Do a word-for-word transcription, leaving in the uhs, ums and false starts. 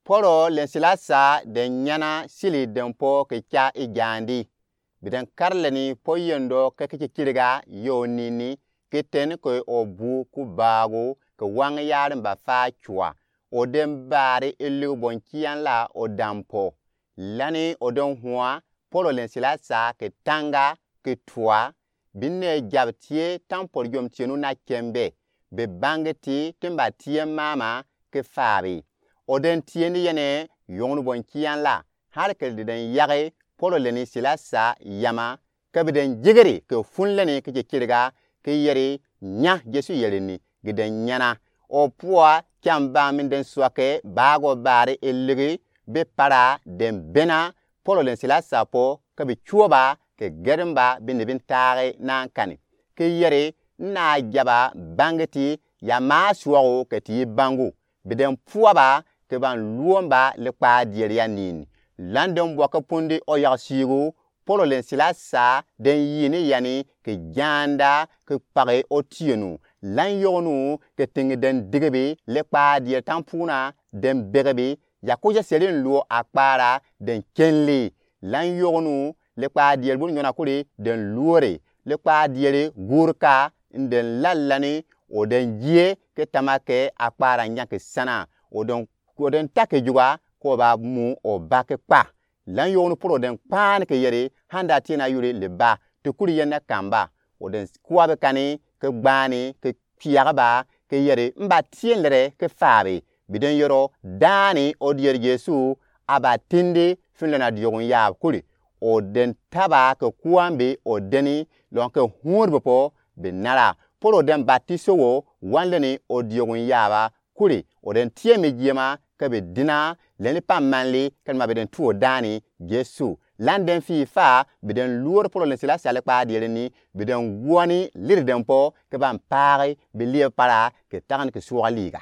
Polo len Silasa den nyana sili den po ke ca i jandi. Bi den karleni po yendo ke kiki kirga yo nini, ke ten ke o bu ku bagu ke wang yari mba fa cua. O den bari ilig bon kian la o dampo. Lani o den hua, Polo len Silasa ke tanga ke tua, bi ne jab tie tampol yom tie nu na kembe, bi bangi ti timba tie mama ke fabi. O den tie ni yene yong nu bon kian la, hali ke di den yagi Polo leni Silasa yama, ke bi den jigiri ke fun leni ke kiki kirga, ke yeri nya Yesu yeri ni gi den nyana. O pua kian ba min den suake bago bari iligi bi para den bena Polo len Silasa po ke bi cuoba ke gerimba bi ni bin tagi na kani. Ke yeri na jaba bangi ti ya ma suagu ke ti bangu. Bi den pua ba ke ban luomba likpa dieri ya nini. Lan den bua ke pundi o yag sigu, Polo len Silasa den yini yani ke janda ke pagi o tienu. Lan yognu ke tingi den digibi likpa dieri tampuna den begebi ya kuja selin luo akpara den kenli. Lan yognu likpa dieri bun nyona kuli den luori. Likpa dieri gurka n den lalani o den jie ke tamake akpara nyaki sana. O den, o den take juga ko ba mu o ba ke kpa. Lan yognu Polo den kpani ke yeri handa tie na yuri liba ti kuri yenne kamba. O den kuabi kani ke gbani ke kiagaba ke yeri mba tie lere ke fabi. Bi den yoro dani o dieri Yesu aba tindi fin lena diogun yab kuri. O den taba ke kuambi o deni lon ke huri bi po bi nara. Polo den batiso wo wan leni o diogun yaba kuri. O den tie mi jiema ke bi dina leni pa manli ke ma bi den tuo dani Yesu. Lan den fi fa bi den luori Polo len Silasa likpa dieri ni, bi den guani liri den po ke ban pagi bi lie para ke tagani ke suaga liga.